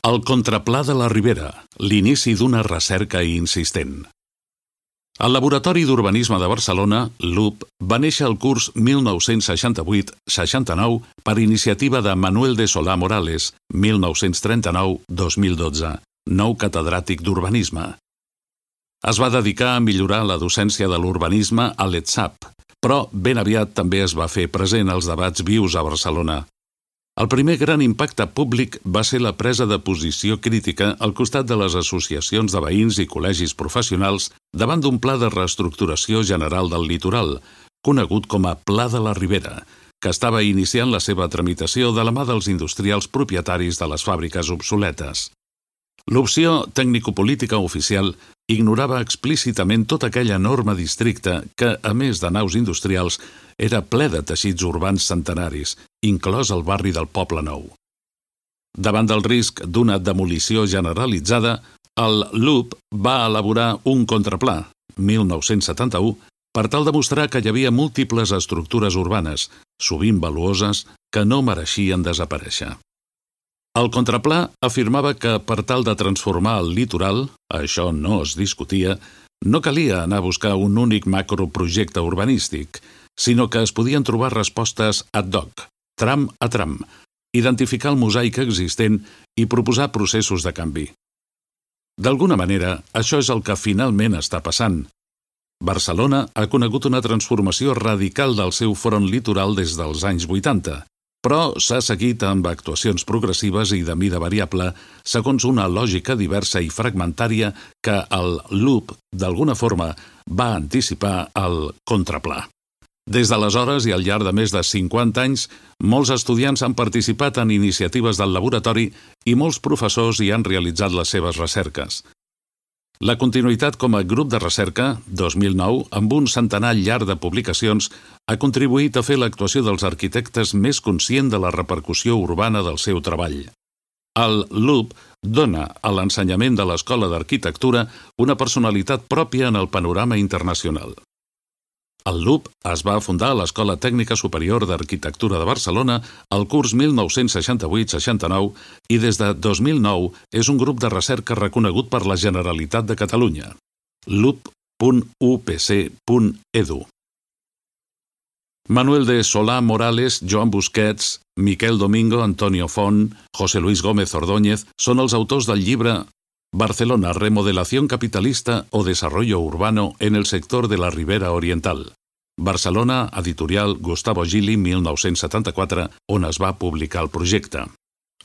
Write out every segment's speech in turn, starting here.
El contraplà de la Ribera, l'inici d'una recerca insistent. El Laboratori d'Urbanisme de Barcelona, LUB, va néixer al curs 1968-69 per iniciativa de Manuel de Solà Morales, 1939-2012, nou catedràtic d'urbanisme. Es va dedicar a millorar la docència de l'urbanisme a l'ETSAP, però ben aviat també es va fer present als debats vius a Barcelona. El primer gran impacte públic va ser la presa de posició crítica al costat de les associacions de veïns i col·legis professionals davant d'un pla de reestructuració general del litoral, conegut com a Pla de la Ribera, que estava iniciant la seva tramitació de la mà dels industrials propietaris de les fàbriques obsoletes. L'opció tècnico-política oficial ignorava explícitament tota aquella enorme districte que, a més de naus industrials, era ple de teixits urbans centenaris, inclòs el barri del Poble Nou. Davant del risc d'una demolició generalitzada, el LUB va elaborar un contraplà, 1971, per tal de mostrar que hi havia múltiples estructures urbanes, sovint valuoses, que no mereixien desaparèixer. El contraplà afirmava que, per tal de transformar el litoral, això no es discutia, no calia anar a buscar un únic macroprojecte urbanístic, sinó que es podien trobar respostes ad hoc, tram a tram, identificar el mosaic existent i proposar processos de canvi. D'alguna manera, això és el que finalment està passant. Barcelona ha conegut una transformació radical del seu front litoral des dels anys 80, però s'ha seguit amb actuacions progressives i de mida variable segons una lògica diversa i fragmentària que el LUB, d'alguna forma, va anticipar el contraplà. Des d'aleshores i al llarg de més de 50 anys, molts estudiants han participat en iniciatives del laboratori i molts professors hi han realitzat les seves recerques. La continuïtat com a grup de recerca, 2009, amb un centenar llarg de publicacions, ha contribuït a fer l'actuació dels arquitectes més conscient de la repercussió urbana del seu treball. El LUB dona a l'ensenyament de l'Escola d'Arquitectura una personalitat pròpia en el panorama internacional. El LUB es va fundar a l'Escola Tècnica Superior d'Arquitectura de Barcelona al curs 1968-69 i des de 2009 és un grup de recerca reconegut per la Generalitat de Catalunya. lub.upc.edu. Manuel de Solà Morales, Joan Busquets, Miquel Domingo, Antonio Font, José Luis Gómez Ordóñez són els autors del llibre Barcelona, remodelación capitalista o desarrollo urbano en el sector de la Ribera Oriental. Barcelona, editorial Gustavo Gili, 1974, on es va publicar el projecte.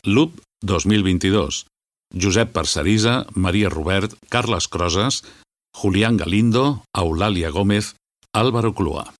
LUB 2022. Josep Parcerisa, Maria Robert, Carles Crosas, Julián Galindo, Eulàlia Gómez, Álvaro Clua.